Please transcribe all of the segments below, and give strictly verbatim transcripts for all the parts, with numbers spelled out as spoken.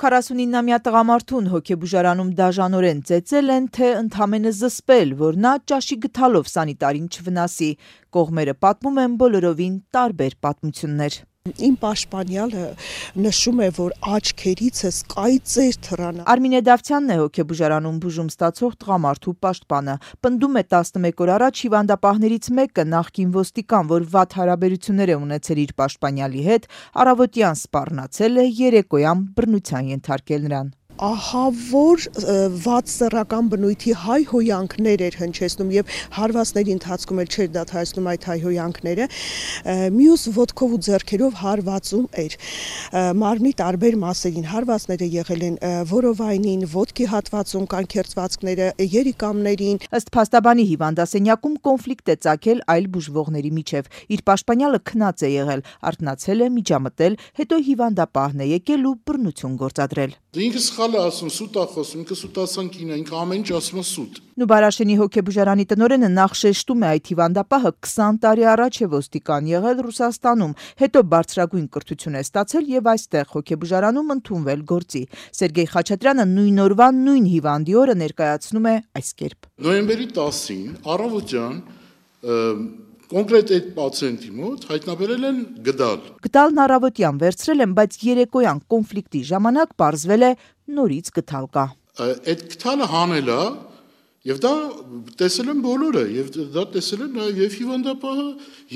քառասունիննամյա տղամարդուն հոգեբուժարանում դաժանորեն ծեծել են, թե ընդամենը զսպել, որ նա ճաշի գթալով սանիտարին չվնասի։ Կողմերը պատմում են բոլորովին տարբեր պատմություններ։ Իմ պաշտպանյալը նշում է, որ աչքերիցս կայծեր թռան։ Արմինե Դավթյանն է հոգեբուժարանում բուժում ստացող տղամարդու պաշտպանը։ Պնդում է տասնմեկ օր առաջ հիվանդապահներից մեկը, նախկին ոստիկան, որ վատ հարաբերություններ է ունեցել իր պաշտպանյալի հետ, առավոտյան սպառնացել է, երեկոյան բռնության ենթարկել նրան։ Ահա որ վատ սեռական բնույթի հայհոյանքներ էր հնչեցնում եւ հարվածների ընթացքում էլ չէր դադարեցնում այդ հայհոյանքները, մյուս ոտքով ու ձեռքերով հարվածում էր մարմնի տարբեր մասերին, հարվածները եղել են որովայնին, ոտքի հատվածում, կանքերծվածքները, երիկամներին։ Ըստ փաստաբանի հիվանդասենյակում կոնֆլիկտ է ծագել այլ բուժվողների միջև։ Իր պաշտպանյալը քնած է եղել, արթնացել է, միջամտել, հետո հիվանդապահն է եկել ու բռնություն գործադրել։ Ինքը սխալ է ասում, սուտ է խոսում, ինքը սուտասան կին է, ինքը ամեն ինչ ասում է սուտ։ Նուբարաշենի հոգեբուժարանի տնօրենը նախ շեշտում է այդ հիվանդապահը քսան տարի առաջ է ոստիկան եղել Ռուսաստանում, հետո բարձրագույն կրթություն է ստացել եւ այստեղ հոգեբուժարանում ընդունվել գործի։ Սերգեյ Խաչատրյանը նույն օրվա նույն հիվանդի օրը ներկայացնում է այս կերպ։ Նոյեմբերի տասին առավոտյան կոնկրետ այդ պացիենտի մոտ հայտնաբերել են գդալ։ Գդալն առավոտյան վերցրել են, բայց երեկոյան կոնֆլիկտի ժամանակ պարզվել է նորից գդալ կա։ Այդ գդալը հանել է եւ դա տեսել են բոլորը, եւ դա տեսել են նաեւ եւ հիվանդապահը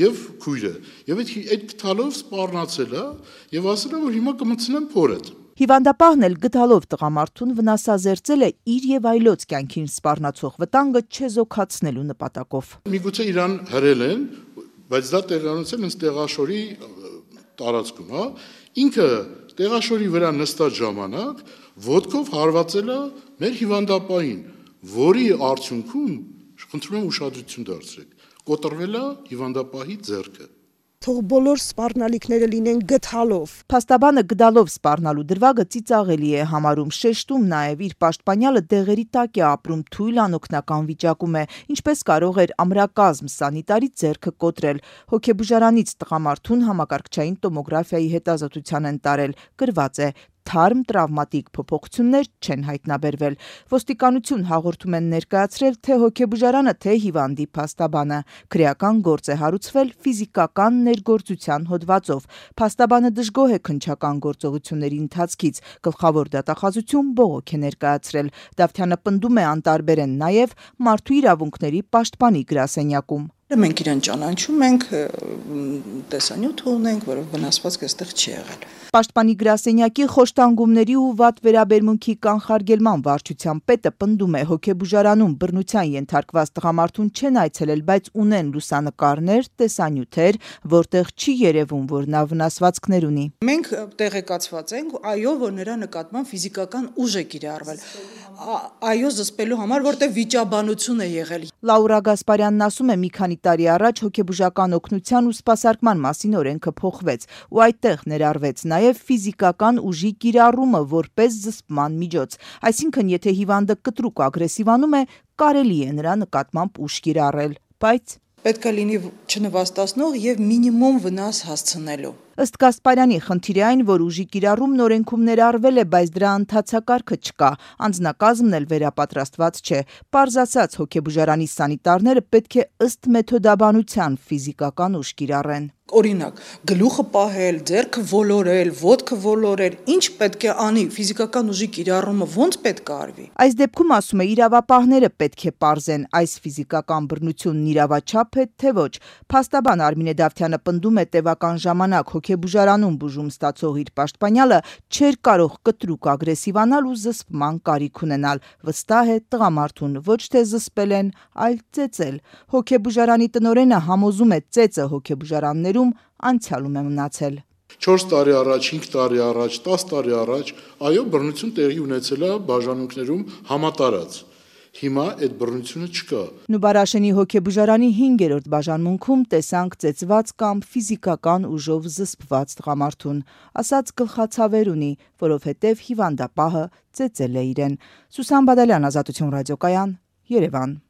եւ քույրը։ Եվ այդ այդ գդալով սպառնացել է եւ ասել է, որ հիմա կմցնեն փորդ։ Հիվանդապահն էլ գդալով տղամարդուն վնասազերծել է իր եւ այլոց կյանքին սպառնացող վտանգը չեզոքացնելու նպատակով։ Միգուցե իրան հրել են, բայց դա տեղանոցել են տեղաշորի տարածքում, հա։ Ինքը տեղաշորի վրա նստած ժամանակ ոտքով հարվածել է մեր հիվանդապահին, որի արդյունքում խնդրում եմ ուշադրություն դարձրեք, կոտրվել է հիվանդապահի ձեռքը։ Թող բոլոր սպառնալիքները լինեն գդալով։ Փաստաբանը գդալով սպառնալու դրվագը ծիծաղելի է համարում, շեշտում նաև իր պաշտպանյալը դեղերի տակ է ապրում, թույլ անօգնական վիճակում է, ինչպես կարող էր ամրակազմ սանիտարի ձեռքը կոտրել։ Հոգեբուժարանից տղամարդուն համակարգչային տոմոգրաֆիայի հետազոտության են տարել, գրված է թարմ տրավմատիկ փոփոխություններ չեն հայտնաբերվել։ Ոստիկանություն հաղորդում են ներկայացրել թե հոգեբուժարանը, թե հիվանդի փաստաբանը։ Քրեական գործ է հարուցվել ֆիզիկական ներգործության հոդվածով։ Փաստաբանը դժգոհ է քննչական գործողությունների ընթացքից։ Գլխավոր դատախազություն բողոք է ներկայացրել։ Դավթյանը պնդում է անտարբեր են նաև մարդու իրավունքների պաշտպանի գրասենյակում։ Մենք իրեն ճանաչում ենք, տեսանյութ ունենք, որով վնասվածք այստեղ չի եղել։ Պաշտպանի գրասենյակի խոշտանգումների ու վատ վերաբերմունքի կանխարգելման վարչության պետը պնդում է հոգեբուժարանում բռնության ենթարկված տղամարդուն չեն այցելել, բայց ունեն լուսանկարներ, տեսանյութեր, որտեղ չի երևում, որ նա վնասվածքներ ունի։ Մենք տեղեկացված ենք, այո, որ նրա նկատմամբ ֆիզիկական ուժ է կիրառվել։ Այո, զսպելու համար, որտեղ վիճաբանություն է եղել։ Լաուրա Գասպարյանն ասում է, մի քանի տարի առաջ հոգեբուժական օգնության ու սպասարկման մասին օրենքը փոխվեց, ու այդտեղ ներառվեց նաև ֆիզիկական ուժի կիրառումը որպես զսպման միջոց։ Այսինքն, եթե հիվանդը կտրուկ ագրեսիվանում է, կարելի է նրա նկատմամբ ուժ կիրառել, բայց պետք է լինի չնվաստացնող եւ մինիմում վնաս հասցնելու։ Ըստ Գասպարյանի, խնդիրը այն, որ ուժի կիրառումն օրենքում ներառվել է, բայց դրա ընթացակարգը չկա, անձնակազմն էլ վերապատրաստված չէ։ Պարզ ասած, հոգեբուժարանի սանիտարները պետք է ըստ մեթոդաբանության ֆիզիկական ուժ կիրառեն։ Օրինակ, գլուխը պահել, ձեռքը ոլորել, ոտքը ոլորել, ինչ պետք է անի, ֆիզիկական ուժի կիրառումը ոնց պետք է արվի։ Այս դեպքում, ասում է, իրավապահները պետք է պարզեն այս ֆիզիկական բռնությունն իրավաչափ է, թե ոչ։ Փաստաբան Արմինե Դավթյանը պնդում է տևական ժամանակ հոգեբուժարանում բուժում ստացող իր պաշտպանյալը չէր կարող կտրուկ ագրեսիվանալ ու զսպման կարիք ունենալ։ Վստահ է, տղամարդուն ոչ թե զսպել են, այլ ծեծել։ Հոգեբուժարանի տնօրենը համոզում է, ծեծը հոգեբուժարաններում անցյալում է մնացել։ չորս տարի առաջ, հինգ տարի առաջ, տաս տարի առաջ, այո, բռնություն տեղի ունեցել է բաժանմունքներում համատարած։ Հիմա այդ բռնությունը չկա։ Նուբարաշենի հոգեբուժարանի հինգերորդ բաժանմունքում տեսանք ծեծված կամ ֆիզիկական ուժով զսպված տղամարդուն, ասաց գլխացավեր ունի, որովհետև հիվանդապահը ծեծել է իրեն։ Սուսան Բադալյան, Ազատություն ռադիոկայան, Երևան։